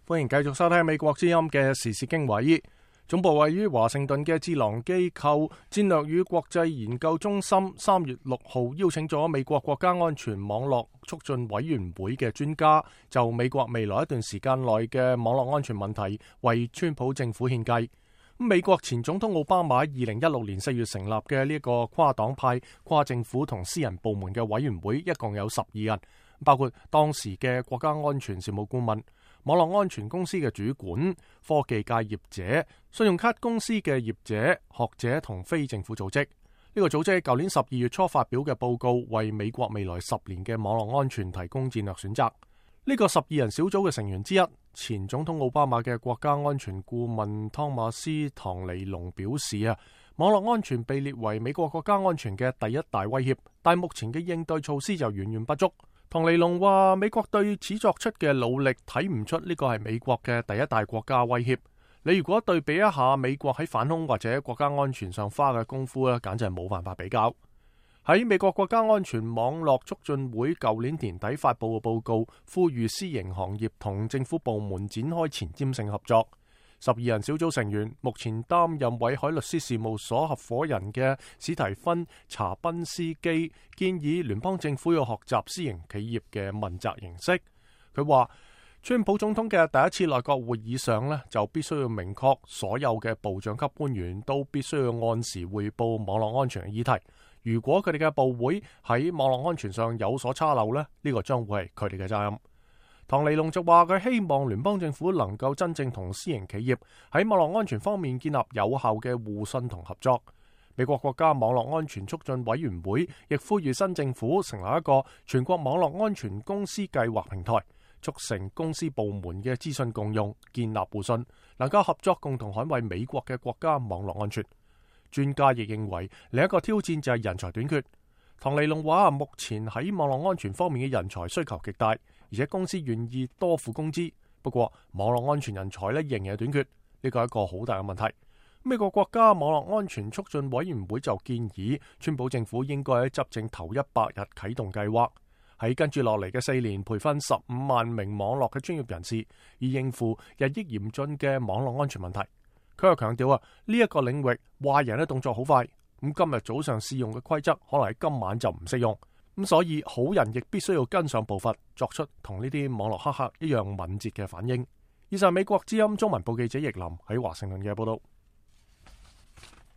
歡迎繼續收聽美國之音嘅時事經緯。總部位於華盛頓嘅智囊機構戰略與國際研究中心3月6號邀請咗美國國家安全網絡促進委員會嘅專家，就美國未來一段時間內嘅網絡安全問題為川普政府獻計。美國前總統奧巴馬2016年4月成立嘅呢個跨黨派、跨政府同私人部門嘅委員會，一共有12人，包括當時嘅國家安全事務顧問、網絡安全公司嘅主管、科技界業者、信用卡公司嘅業者、學者同非政府組織。呢個組織喺舊年12月初發表嘅報告，為美國未來10年嘅網絡安全提供戰略選擇。呢個12人小組嘅成員之一，前總統奧巴馬嘅國家安全顧問湯馬斯·唐尼龍表示網絡安全被列為美國國家安全嘅第一大威脅，但目前嘅應對措施就遠遠不足。唐尼龍話：美國對此作出嘅努力睇唔出呢個係美國嘅第一大國家威脅。你如果對比一下美國喺反恐或者國家安全上花嘅功夫簡直係冇辦法比較。喺美國國家安全網絡促進會舊年年底發佈嘅報告，呼籲私營行業同政府部門展開前瞻性合作。12人小組成員目前擔任偉海律師事務所合夥人嘅史提芬·查賓斯基建議聯邦政府要學習私營企業嘅問責形式。佢話，川普總統嘅第一次內閣會議上就必須要明確所有嘅部長級官員都必須要按時匯報網絡安全嘅議題。如果佢哋嘅部會喺網絡安全上有所差漏呢個將會係佢哋嘅責任。唐尼龍就話佢希望聯邦政府能夠真正同私營企業喺網絡安全方面建立有效嘅互信同合作。美國國家網絡安全促進委員會亦呼籲新政府成立一個全國網絡安全公司計劃平台，促成公司部門嘅資訊共用，建立互信，能夠合作共同捍衛美國嘅國家網絡安全。專家亦認為另一個挑戰就係人才短缺。唐尼龍話，目前喺網絡安全方面嘅人才需求極大，而且公司願意多付工資。不過網絡安全人才仍然係短缺，呢個係一個好大嘅問題。美國國家網絡安全促進委員會就建議，川普政府應該喺執政頭100日啟動計劃，喺跟住落嚟嘅4年培訓15萬名網絡嘅專業人士，以應付日益嚴峻嘅網絡安全問題。佢又強調呢一個領域壞人嘅動作好快，咁今日早上試用嘅規則可能喺今晚就唔適用，咁所以好人亦必須要跟上步伐，作出同呢啲網絡黑客一樣敏捷嘅反應。以上美國之音中文部記者易林喺華盛頓嘅報道。